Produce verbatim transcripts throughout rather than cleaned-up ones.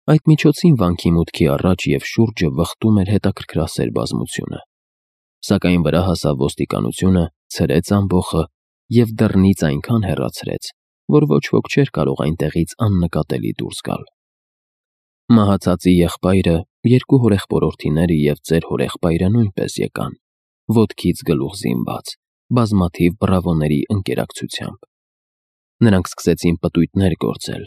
Այդ միջոցին վանքի մուտքի առաջ և շուրջը վխտում էր հետաքրքրասեր բազմությունը, սակայն վրա հասավ ոստիկանությունը, ցրեց ամբոխը և դռնից այնքան հեռացրեց, որ ոչ ոք չէր կարող այնտեղից աննկատելի դուրս գալ։ Մահացածի եղբայրը, երկու հորեղբորորդիները և ծեր հորեղբայրը նույնպես եկան, ոտքից գլուխ զինված, բազմաթիվ բռավոների ընկերակցությամբ։ Նրանք սկսեցին պտույտներ գործել,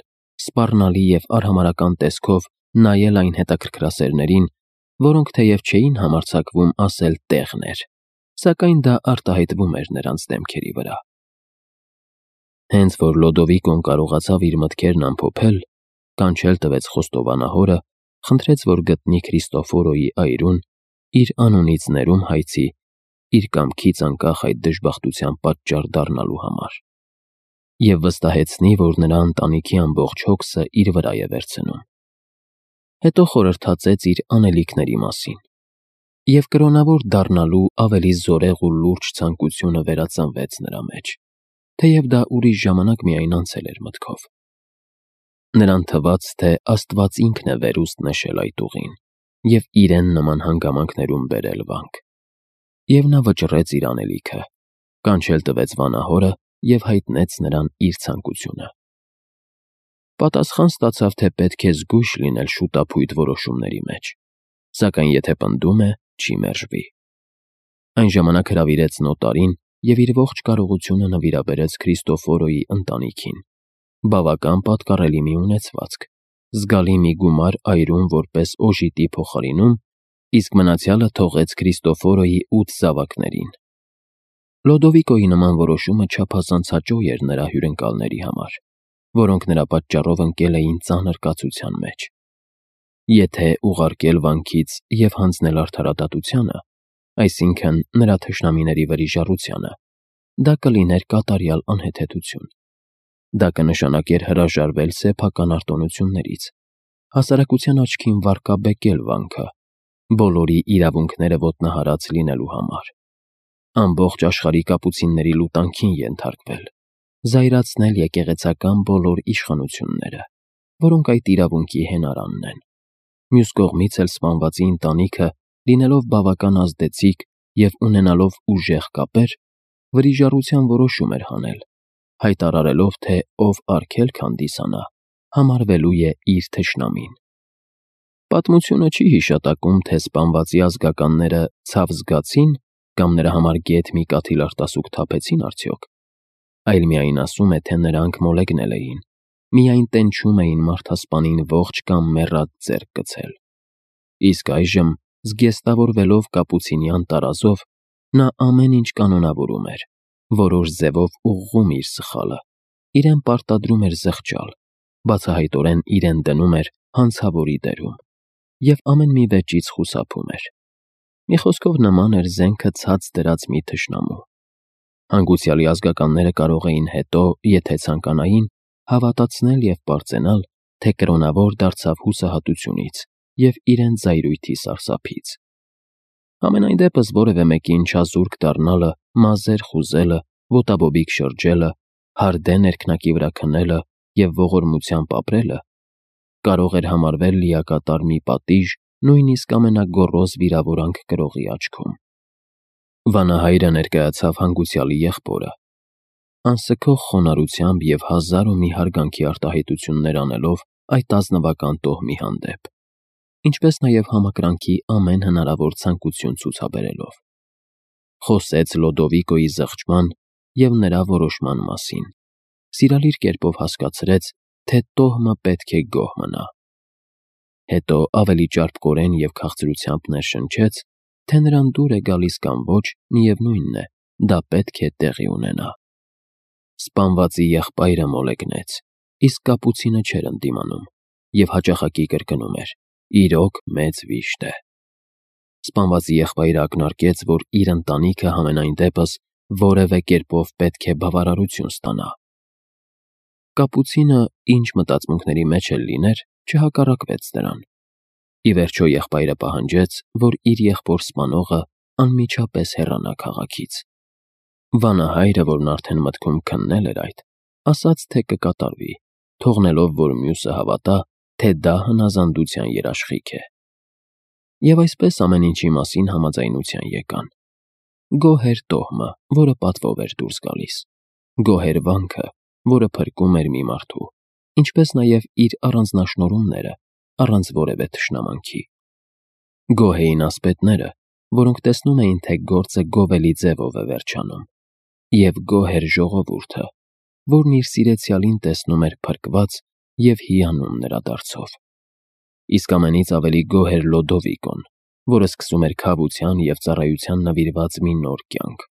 սպառնալի և արհամարհական տեսքով նայել այն հետաքրքրասերներին, որոնք թեև չէին համարձակվում ասել տեղն էր, սակայն դա արտահայտվում էր նրանց դեմքերի վրա։ Հենց որ Լոդովիկոն կարողացավ իր մտքերն ամփոփել, կանչել տվեց խոստովանահորը, խնդրեց, որ գտնի Քրիստոֆորոյի այրուն, իր անունից ներում հայցի, իր կամքից անկախ այդ դժբախտության պատճառ դառնալու համար, և վստահեցնի, որ նրա ընտանիքի ամբողջ հոգսը իր վրա է վերցնում։ Հետո խորհրդածեց իր անելիքների մասին, և կրոնավոր դառնալու ավելի զորեղ ու լուրջ ցանկությունը վերածնվեց նրա մեջ, թեև դա ուրիշ ժամանակ միայն անցել էր մտքով։ Նրան թվաց, թե Աստված ինքն է վերուստ նշել այդ ուղին և իրեն նման հանգամանքներում բերել վանք։ Եվ նա վճռեց իր անելիքը, կանչել տվեց վանահորը և հայտնեց նրան իր ցանկությունը։ Պատասխան ստացավ, թե պետք է զգույշ լինել շուտափույթ որոշումների մեջ, սակայն եթե պնդում է, չի մերժվի։ Այն ժամանակ հրավիրեց նոտարին և իր ողջ կարողությունը նվիրաբերեց Քրիստոֆորոյի ընտանիքին, բավական պատկառելի մի ունեցվածք, զգալի մի գումար այրում որպես օժիտի փոխարինում, իսկ մնացյալը թողեց Քրիստոֆորոյի ութ զավակներին։ Լոդովիկոյի նման որոշումը չափազանց հաճո էր նրա հյուրընկալների համար, որոնք նրա պատճառով ընկել էին ծանր կացության մեջ։ Եթե ուղարկել վանքից և հանձնել արդարադատությանը, այսինքն նրա թշնամիների վրիժառությանը, դա կլիներ կատարյալ անհեթեթություն։ Դա կնշանակեր հրաժարվել սեփական արտոնություններից, հասարակության աչքին վարկաբեկել վանքը, բոլորի իրավունքները ոտնահարած լինելու համար, ամբողջ աշխարհի կապուցինների լուտանքին ենթարկվել, զայրացնել եկեղեցական բոլոր իշխանությունները, որոնք այդ իրավունքի հենարանն են։ Մյուս կողմից էլ սպանվածի ընտանիքը, լինելով բավական ազդեցիկ և ունենալով ուժեղ կապեր, վրիժառության որոշում էր հանել, հայտարարելով, թե ով արգելք հանդիսանա, համարվելու է իր թշնամին։ Պատմությունը չի հիշատակում, թե սպանվածի ազգականները ցավ զգացի՞ն կամ նրա համար գեթ մի կաթիլ արտասուք թափեցին արդյոք, այլ միայն ասում է, թե նրանք մոլեգնել էին, միայն տենչում էին մարդասպանին ողջ կամ մեռած ձեռք գցել։ Իսկ այժմ, զգեստավորվելով կապուցինյան տարազով, նա ամեն ինչ կանոնավորում էր, որոշ ձևով ուղղում իր սխալը, իրեն պարտադրում էր զղջալ, բացահայտորեն իրեն դնում էր հանցավորի դերում և ամեն մի վեճից խուսափում էր։ Մի խոսքով նման էր զենքը ցած դրած մի թշնամու։ Հանգուցյալի ազգականները կարող էին հետո, եթե ցանկանային, հավատացնել և պարծենալ, թե կրոնավոր դարձավ հուսահատությունից և իրենց զայրույթի սարսափից։ Համենայն դեպս որևէ մեկին չազուրկ դառնալը, մազեր խուզելը, ոտաբոբիկ շրջելը, հարդե ներքնակի վրա քնելը և ողորմությամբ ապրելը կարող էր համարվել լիակատար մի պատիժ նույնիսկ ամենագոռոզ վիրավորանք կրողի աչքում։ Վանահայրը ներկայացավ հանգուցյալի եղբորը, անսքող խոնարհությամբ և հազար ու մի հարգանքի արտահայտություններ անելով այդ ազնվական տոհմի հանդեպ, ինչպես նաև համակրանքի ամեն հնարավոր ցանկություն ցուցաբերելով։ Խոսեց Լոդովիկոյի զղջման և նրա որոշման մասին, սիրալիր կերպով հասկացրեց, թե տոհմը պետք է գոհ մնա։ Հետո ավելի ճարպկորեն և քաղցրությամբ ներշնչեց, թե նրան դուր է գալիս կամ ոչ, միևնույն է, դա պետք է տեղի ունենա։ Սպանվածի եղբայրը մոլեգնեց, իսկ կապուցինը չէր ընդդիմանում և հաճախակի կրկնում էր. «Իրոք մեծ վիշտ է»։ Սպանվածի եղբայրը ակնարկեց, որ իր ընտանիքը համենայն դեպս որևէ կերպով պետք է բավարարություն ստանա։ Կապուցինը, ինչ մտածմունքների մեջ էլ լիներ, չհակառակվեց դրան։ Ի վերջո եղբայրը պահանջեց, որ իր եղբոր սպանողը անմիջապես հեռանա քաղաքից։ Վանահայրը, որն արդեն մտքում քննել էր այդ, ասաց, թե կկատարվի, թողնելով, որ մյուսը հավատա, թե դա հնազանդության երաշխիք է։ Եվ այսպես ամեն ինչի մասին համաձայնության եկան։ Գոհ էր տոհմը, որը պատվով էր դուրս գալիս, գոհ էր վանքը, որը փրկում էր մի մարդու, ինչպես նաև իր առանձնաշնորհումները, առանց որևէ թշնամանքի։ Գոհ էին ասպետները, որոնք տեսնում էին, թե գործը գովելի ձևով է վերջանում, և գոհ էր ժողովուրդը, որն իր սիրեցյալին տեսնում էր փրկված և հիանում նրա դարձով։ Իսկ ամենից ավելի գոհ էր Լոդովիկոն, որը սկսում էր քավության և ծառայության նվիրված մի նոր կյանք,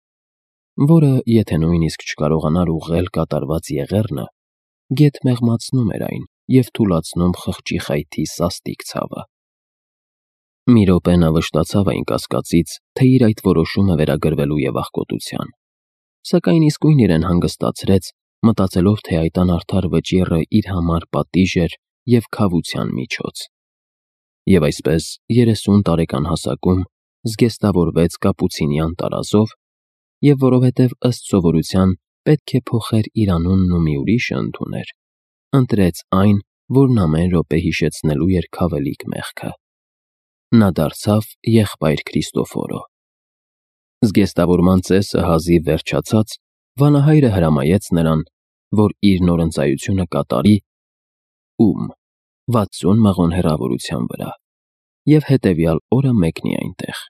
որը, եթե նույնիսկ չկարողանար ուղղել կատարված եղեռնը, գեթ մեղմացնում էր այն և թուլացնում խղճի խայթի սաստիկ ցավը։ Մի րոպե նա վշտացավ այն կասկածից, թե իր այդ որոշումը վերագրվելու է աղքոտության, սակայն իսկույն իրեն հանգստացրեց, մտածելով, թե այդ անարդար վճիռը իր համար պատիժ էր և քավության միջոց։ Եվ այսպես, երեսուն տարեկան հասակում զգեստավորվեց կապուցինյան տարազով, և որովհետև ըստ սովորության պետք է փոխեր իր անունն ու մի ուրիշը ընդուներ, ընտրեց այն, որն ամեն րոպե հիշեցնելու էր քավելիք մեղքը։ Նա դարձավ եղբայր Քրիստոֆորո։ Զգեստավորման ծեսը հազիվ վերջացած, վանահայրը հրամայեց նրան, որ իր նորընծայությունը կատարի ում վաթսուն մղոն հեռավորության վրա և հետևյալ օրը մեկնի այնտեղ։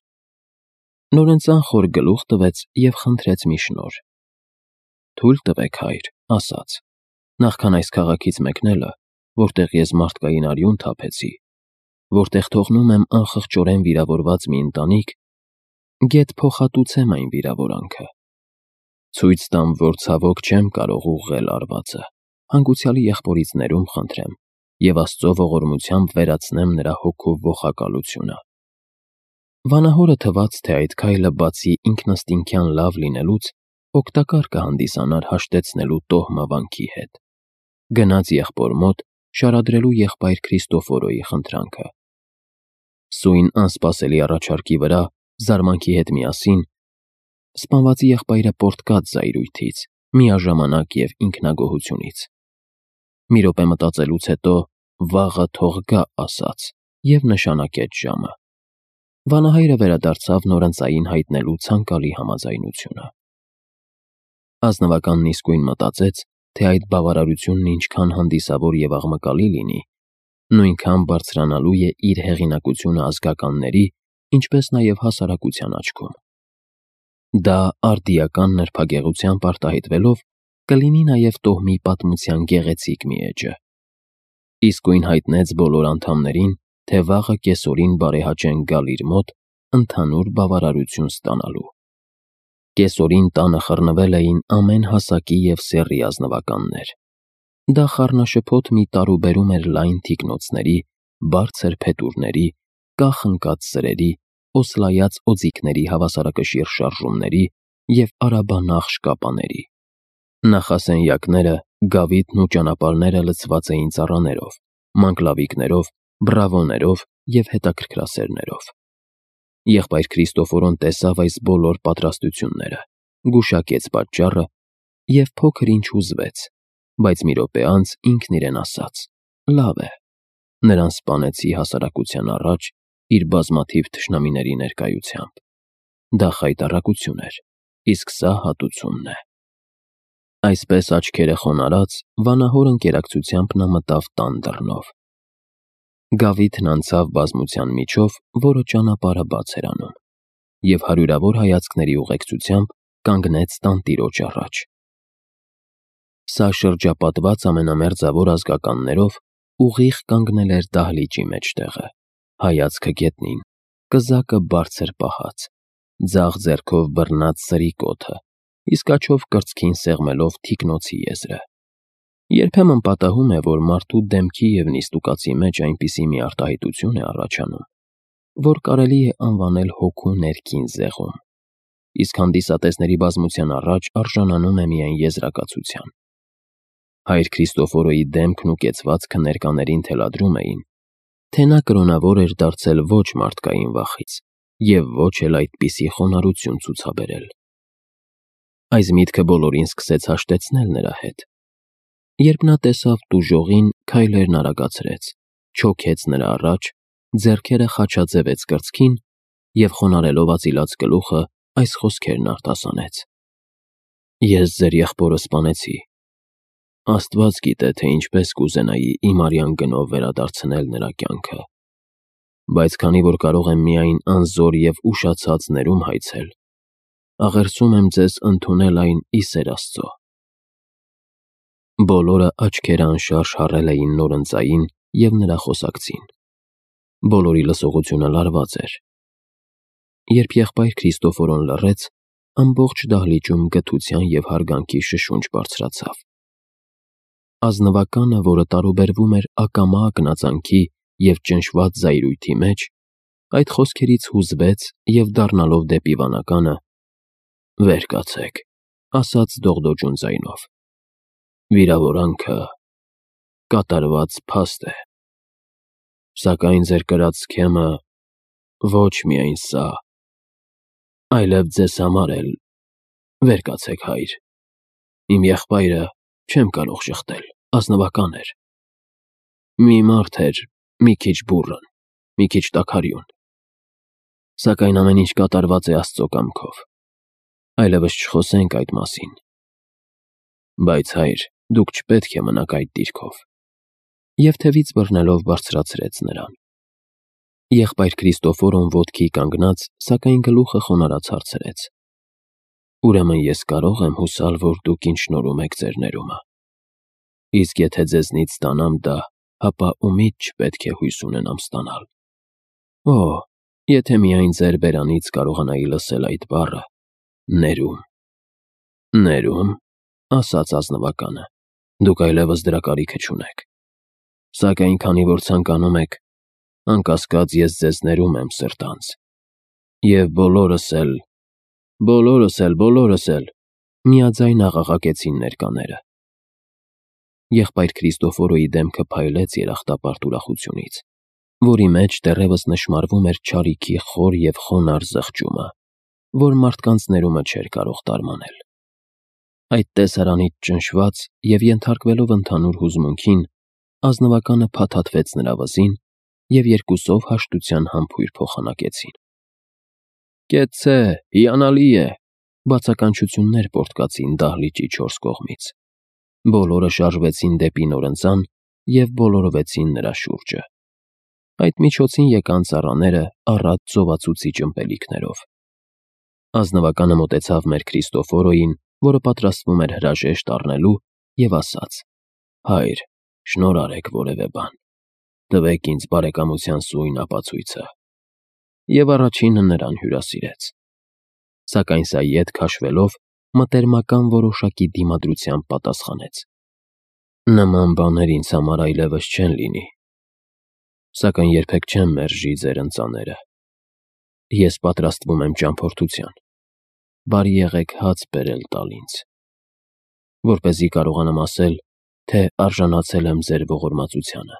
Նորընծան խոր գլուխ տվեց և խնդրեց մի շնորհ։ «Թույլ տվեք, հայր», ասաց, «նախքան այս քաղաքից մեկնելը, որտեղ ես մարդկային արյուն թափեցի, որտեղ թողնում եմ անխղճորեն վիրավորված մի ընտանիք, գեթ փոխհատուցեմ այն վիրավորանքը։ Ցույց տամ, որ ցավոք չեմ կարող ուղղել արվածը, հանգուցյալի եղբորից ներում խնդրեմ և Աստծո ողորմությամբ վերացնեմ նրա հոգու ոխակալությունը»։ Վանահորը թվաց, թե այդ քայլը բացի ինքնըստինքյան լավ լինելուց, օգտակար կհանդիսանար հաշտեցնելու տոհմը վանքի հետ։ Գնաց եղբոր մոտ՝ շարադրելու եղբայր Քրիստոֆորոյի խնդրանքը։ Սույն անսպասելի առաջարկի վրա, զարմանքի հետ միասին, սպանվածի եղբայրը պոռթկաց զայրույթից, միաժամանակ և ինքնագոհությունից։ Մի րոպե մտածելուց հետո «վաղը թող գա» ասաց և նշանակեց ժամը։ Վանահայրը վերադարձավ նորընծային հայտնելու ցանկալի համաձայնությունը։ Ազնվականն իսկույն մտածեց, թե այդ բավարարությունն ինչքան հանդիսավոր և աղմկալի լինի, նույնքան բարձրանալու է իր հեղինակությունը ազգականների, ինչպես նաև հասարակության աչքում։ Դա արդիական նրբագեղությամբ արտահայտվելով կլինի նաև տոհմի պատմության գեղեցիկ մի էջը։ Իսկույն հայտնեց բոլոր անդամներին, թե վաղը կեսօրին բարեհաճեն գալ իր մոտ ընդհանուր բավարարություն ստանալու։ Կեսօրին տանը խռնվել էին ամեն հասակի և սեռի ազնվականներ։ Դա խառնաշփոթ մի տարուբերում էր լայն թիկնոցների, բարձր փետուրների, կախ ընկած սրերի, օսլայած օձիքների հավասարակշիռ շարժումների և արաբանախ շկապաների։ Նախասենյակները, գավիթն ու ճանապարհները լցված էին ծառաներով, մանկլավիկներով, բրավոներով և հետաքրքրասերներով։ Եղբայր Քրիստոֆորոն տեսավ այս բոլոր պատրաստությունները, գուշակեց պատճառը և փոքր ինչ հուզվեց, բայց մի րոպե անց ինքն իրեն ասաց. «Լավ է, նրան սպանեցի հասարակության առաջ իր բազմաթիվ թշնամիների ներկայությամբ։ Դա խայտառակություն էր, իսկ սա հատուցումն է»։ Այսպես աչքերը խոնարհած, վանահոր ընկերակցությամբ նա մտավ տան դռնով։ Գավիթն անցավ բազմության միջով, որը ճանապարհը բաց էր անում, և հարյուրավոր հայացքների ուղեկցությամբ կանգնեց տանտիրոջ առաջ։ Սա շրջապատված ամենամերձավոր ազգականներով ուղիղ կանգնել էր դահլիճի մեջտեղը, հայացքը գետնին, կզակը բարձր պահած, ձախ ձեռքով բռնած սրի կոթը, իսկ աջով կրծքին սեղմելով թիկնոցի եզրը։ Երբեմն պատահում է, որ մարդու դեմքի և նիստուկացի մեջ այնպիսի մի արտահայտություն է առաջանում, որ կարելի է անվանել հոգու ներքին զեղում, իսկ հանդիսատեսների բազմության առաջ արժանանում է միայն եզրակացության։ Հայր Քրիստոֆորոյի դեմքն ու կեցվածքը ներկաներին թելադրում էին, թե նա կրոնավոր էր դարձել ոչ մարդկային վախից և ոչ էլ այդպիսի խոնարհություն ցուցաբերել։ Այս միտքը բոլորին սկսեց հաշտեցնել նրա հետ։ Երբ նա տեսավ տուժողին, քայլերն արագացրեց, չոքեց նրա առաջ, ձեռքերը խաչաձևեց կրծքին և խոնարհելով ածիլած գլուխը այս խոսքերն արտասանեց. «Ես ձեր եղբորը սպանեցի։ Աստված գիտե, թե ինչպես կուզենայի իմ արյան գնով վերադարձնել նրա կյանքը, բայց քանի որ կարող եմ միայն անզոր և ուշացած ներում հայցել, աղերսում եմ ձեզ ընդունել այն ի սեր Աստծո»։ Բոլորը աչքերը անշարժ հառել էին նորընծային և նրա խոսակցին։ Բոլորի լսողությունը լարված էր։ Երբ եղբայր Քրիստոֆորոն լռեց, ամբողջ դահլիճում գթության և հարգանքի շշունչ բարձրացավ։ Ազնվականը, որը տարուբերվում էր ակամա ակնածանքի և ճնշված զայրույթի մեջ, այդ խոսքերից հուզվեց և դառնալով դեպի վանականը. «Վեր կացեք», ասաց դողդոջուն ձայնով։ «Վիրավորանքը կատարված փաստ է, սակայն ձեր կրած սքեմը ոչ միայն սա, այլև ձեզ համար էլ, վեր կացեք, հայր, իմ եղբայրը չեմ կարող շղթել, ազնվական էր, մի մարդ էր մի քիչ բուռն, մի քիչ տաքարյուն, սակայն ամեն ինչ կատարված է Աստծո կամքով, այլևս չխոսենք այդ մասին, բայց, հայր, դուք չպետք է մնաք այդ դիրքով», և թևից բռնելով բարձրացրեց նրան։ Եղբայր Քրիստոֆորոն ոտքի կանգնած, սակայն գլուխը խոնարհած հարցրեց. «Ուրեմն ես կարո՞ղ եմ հուսալ, որ դուք ինձ շնորհում եք ձեր ներումը։ Իսկ եթե ձեզնից ստանամ դա, ապա ումի՞դ չպետք է հույս ունենամ ստանալ։ Օ՜, եթե միայն ձեր բերանից կարողանայի լսել այդ բառը՝ ներում»։ «Ներում», ասաց ազնվականը, «դուք այլևս դրա կարիքը չունեք։ Սակայն քանի որ ցանկանում եք, անկասկած ես ձեզ ներում եմ սրտանց։ Եվ բոլորս էլ, բոլորս էլ, բոլորս էլ», միաձայն աղաղակեցին ներկաները։ Եղբայր Քրիստոֆորոյի դեմքը փայլեց երախտապարտ ուրախությունից, որի մեջ դեռևս նշմարվում էր չարիքի խոր և խոնարհ զղջումը, որ մարդկանց ներումը չէր կարող տարմանել։ Այդ տեսարանից ճնշված և ենթարկվելով ընդհանուր հուզմունքին, ազնվականը փաթաթվեց նրա վզին, և երկուսով հաշտության համբույր փոխանակեցին։ «Կեցցե, հիանալի է», բացականչություններ պոռթկացին դահլիճի չորս կողմից։ Բոլորը շարժվեցին դեպի նորընծան և բոլորովեցին նրա շուրջը։ Այդ միջոցին եկան ծառաները առատ ծովածուցիչ ըմպելիքներով։ Ազնվականը մոտեցավ մեր Քրիստոֆորոյին, որը պատրաստվում էր հրաժեշտ առնելու, և ասաց. «Հայր, շնորհ արեք որևէ բան, տվեք ինձ բարեկամության սույն ապացույցը»։ Եվ առաջինը նրան հյուրասիրեց։ Սակայն սա ետ քաշվելով, մտերմական որոշակի դիմադրությամբ պատասխանեց. «Նման բաներ ինձ համար այլևս չեն լինի, սակայն երբեք չեմ մերժի ձեր ընծաները։ Ես պատրաստվում եմ ճամփորդության, բարի եղեք հաց բերել տալ ինձ, որպեսզի կարողանամ ասել, թե արժանացել եմ ձեր ողորմածությանը,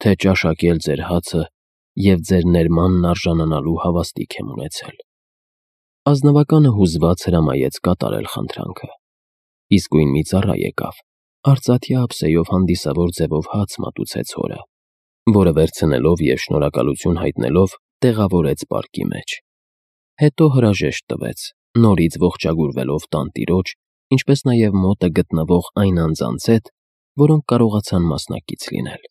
թե ճաշակել ձեր հացը և ձեր ներմանն արժանանալու հավաստիք եմ ունեցել»։ Ազնվականը հուզված հրամայեց կատարել խնդրանքը։ Իսկույն մի ծառա եկավ, արծաթյա ափսեով հանդիսավոր ձևով հաց մատուցեց հորը, որը վերցնելով և շնորհակալություն հայտնելով, տեղավորեց պարկի մեջ։ Հետո հրաժեշտ տվեց, նորից ողջագուրվելով տանտիրոջ, ինչպես նաև մոտը գտնվող այն անձանց հետ, որոնք կարողացան մասնակից լինել։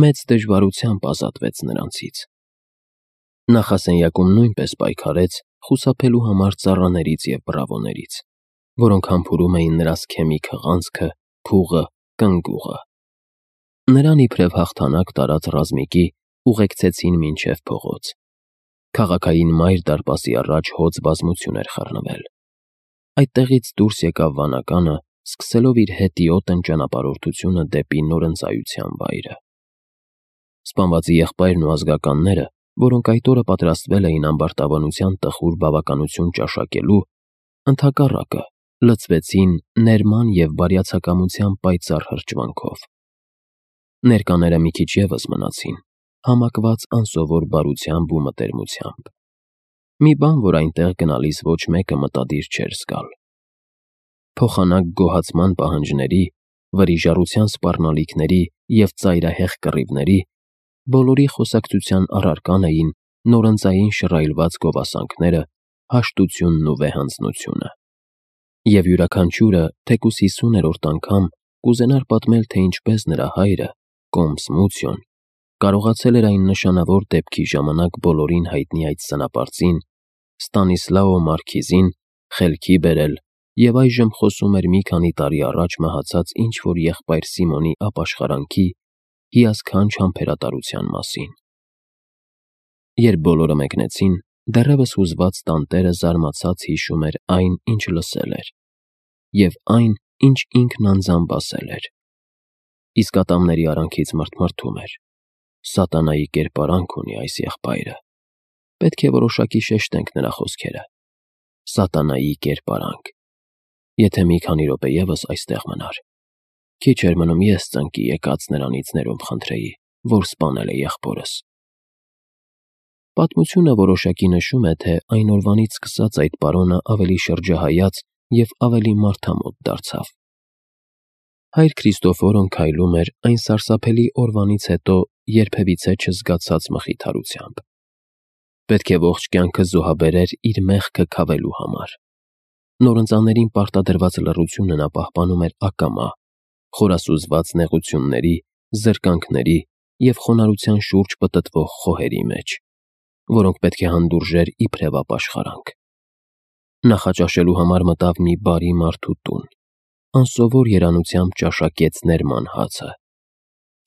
Մեծ դժվարությամբ ազատվեց նրանցից։ Նախասենյակում նույնպես պայքարեց խուսափելու համար ծառաներից և բռավոներից, որոնք համբուրում էին նրա սքեմի քղանցքը, փուղը, կնգուղը։ Նրան իբրև հաղթանակ տարած ռազմիկի ուղեկցեցին մինչև փողոց։ Քաղաքային մայր դարպասի առաջ հոծ բազմություն էր խռնվել։ Այդտեղից դուրս եկավ վանականը, սկսելով իր հետիոտն ճանապարհորդությունը դեպի նորընծայության վայրը։ Սպանվածի եղբայրն ու ազգականները, որոնք այդ օրը պատրաստվել էին ամբարտավանության տխուր բավականություն ճաշակելու, ընդհակառակը, լցվեցին ներման և բարյացակամության պայծառ հրճվանքով։ Ներկաները մի քիչ ևս մնացին, համակված անսովոր բարությամբ ու մտերմությամբ։ Մի բան, որ այնտեղ գնալիս ոչ մեկը մտադիր չէր զգալ։ Փոխանակ գոհացման պահանջների վրիժառության սպառնալիքների և ծայրահեղ կռիվների, բոլորի խոսակցության առարկան էին նորընծային շռայլված գովասանքները, հաշտությունն ու վեհանձնությունը։ Եվ յուրաքանչյուրը, թեկուզ հիսուներորդ անգամ, կուզենար պատմել, թե ինչպես նրա հայրը, Կոմս Մուցիոն, կարողացել էր այն նշանավոր դեպքի ժամանակ բոլորին հայտնի այդ սնապարծին, Ստանիսլաո մարքիզին, խելքի բերել և այժմ խոսում էր մի քանի տարի առաջ մահացած ինչ-որ եղբայր Սիմոնի ապաշխարանքի, հիասքանչ համբերատարության մասին։ Երբ բոլորը մեկնեցին, դեռևս հուզված տանտերը զարմացած հիշում էր այն, ինչ լսել էր, և այն, ինչ ինքն անձամբ ասել էր։ Իսկ ատամների արանքից մռթմռթում էր. «Սատանայի կերպարանք ունի այս եղբայրը»։ Պետք է որոշակի շեշտենք նրա խոսքերը։ Սատանայի կերպարանք։ Եթե մի քանի րոպե ևս այստեղ մնար։ Քիչ էր մնում ես ծնկի եկած նրանից ներում խնդրեի, որ սպանել է եղբորս։ Պատմությունը որոշակի նշում է, թե այն օրվանից սկսած այդ պարոնը ավելի շրջահայաց և ավելի մարդամոտ դարձավ։ Հայր Քրիստոֆորոն քայլում էր այն սարսափելի օրվանից հետո երբևիցե չզգացած մխիթարությամբ։ Պետք է ողջ կյանքը զոհաբերեր իր մեղքը քավելու համար։ Նորընծաներին պարտադրված լռությունը նա պահպանում էր ակամա, խորասուզված նեղությունների, զրկանքների և խոնարհության շուրջ պտտվող խոհերի մեջ, որոնք պետք է հանդուրժեր իբրև ապաշխարանք։ Նախաճաշելու համար մտավ մի բարի մարդու տուն, անսովոր երանությամբ ճաշակեց ներման հացը,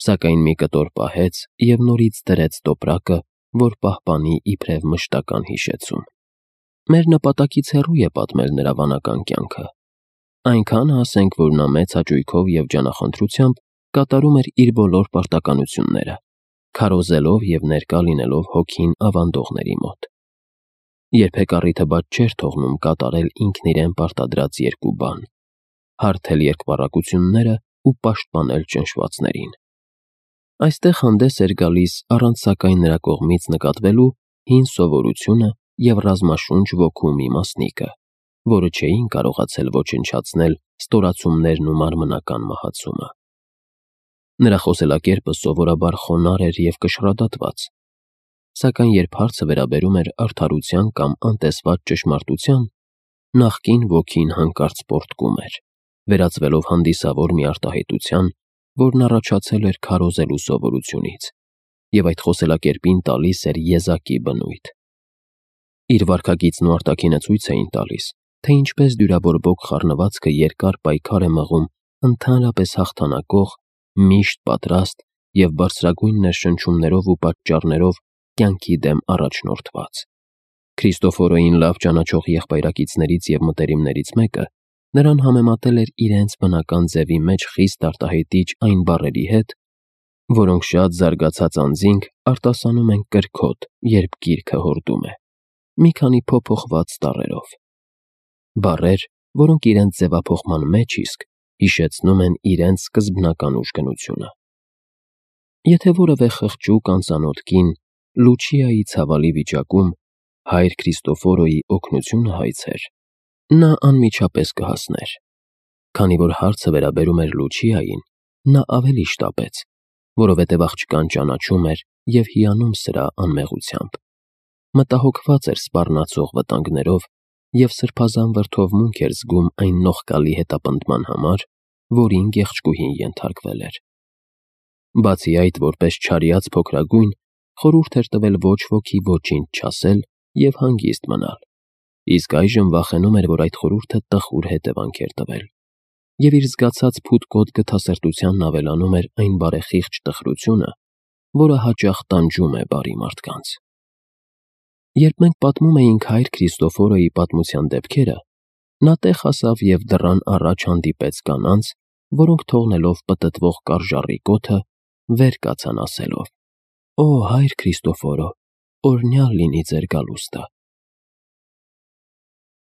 սակայն մի կտոր պահեց և նորից դրեց տոպրակը, որ պահպանի իբրև մշտական հիշեցում։ Մեր նպատակից հեռու է պատմել նրա վանական կյանքը։ Այնքանը ասենք, որ նա մեծ հաճույքով և ջանախնդրությամբ կատարում էր իր բոլոր պարտականությունները, քարոզելով և ներկա լինելով հոգին ավանդողների մոտ։ Երբեք առիթը բաց չէր թողնում կատարել ինքն իրեն պարտադրած երկու բան՝ հարթել երկպառակությունները ու պաշտպանել ճնշվածներին։ Այստեղ հանդես էր գալիս առանց սակայն նրա կողմից նկատվելու հին սովորությունը և ռազմաշունչ ոգու մի մասնիկը, որը չէին կարողացել ոչնչացնել ստորացումներն ու մարմնական մահացումը։ Նրա խոսելակերպը սովորաբար խոնարհ էր և կշռադատված, սակայն երբ հարցը վերաբերում էր արդարության կամ անտեսված ճշմարտության, նախկին ոգին հանկարծ պոռթկում էր, վերածվելով հանդիսավոր մի արտահայտության, որն առաջացել էր քարոզելու սովորությունից, և այդ խոսելակերպին տալիս էր եզակի բնույթ։ Իր վարքագիծն ու արտաքինը ցույց էին տալիս, թե ինչպես դյուրաբորբոք խառնվածքը երկար պայքար է մղում ընդհանրապես հաղթանակող, միշտ պատրաստ և բարձրագույն ներշնչումներով ու պատճառներով կյանքի դեմ առաջնորդված։ Քրիստոֆորոյին լավ ճանաչող եղբայրակիցներից և մտերիմներից մեկը նրան համեմատել էր իրենց բնական ձևի մեջ խիստ արտահայտիչ այն բառերի հետ, որոնք շատ զարգացած անձինք արտասանում են կրքոտ, երբ գիրքը հորդում է, մի քանի փոփոխված տառերով։ Բառեր, որոնք իրենց ձևափոխման մեջ իսկ հիշեցնում են իրենց սկզբնական ուժգնությունը։ Եթե որևէ խղճուկ անծանոթ կին Լուչիայի ցավալի վիճակում հայր Քրիստոֆորոյի օգնությունը հայցեր, նա անմիջապես կհասներ։ Քանի որ հարցը վերաբերում էր Լուչիային, նա ավելի շտապեց, որովհետև աղջկան ճանաչում էր և հիանում սրա անմեղությամբ։ Մտահոգված էր սպառնացող վտանգներով և սրբազան վրդովմունք էր զգում այն նողկալի հետապնդման համար, որին գեղեցկուհին ենթարկվել էր։ Բացի այդ, որպես չարյաց փոքրագույն, խորհուրդ էր տվել ոչ ոքի ոչինչ չասել և հանգիստ մնալ, իսկ այժմ վախենում էր, որ այդ խորհուրդը տխուր հետևանք էր տվել, և իր զգացած փութկոտ գթասրտությանն ավելանում էր այն բարեխիղճ տխրությունը, որը հաճախ տանջում է բարի մարդկանց։ Երբ մենք պատմում էինք հայր Քրիստոֆորոյի պատմության դեպքերը, նա տեղ հասավ և դռան առաջ հանդիպեց կանանց, որոնք թողնելով պտտվող կարժառի կոթը, վեր կացան ասելով. «Օ, հայր Քրիստոֆորո, օրհնյալ լինի ձեր գալուստը»։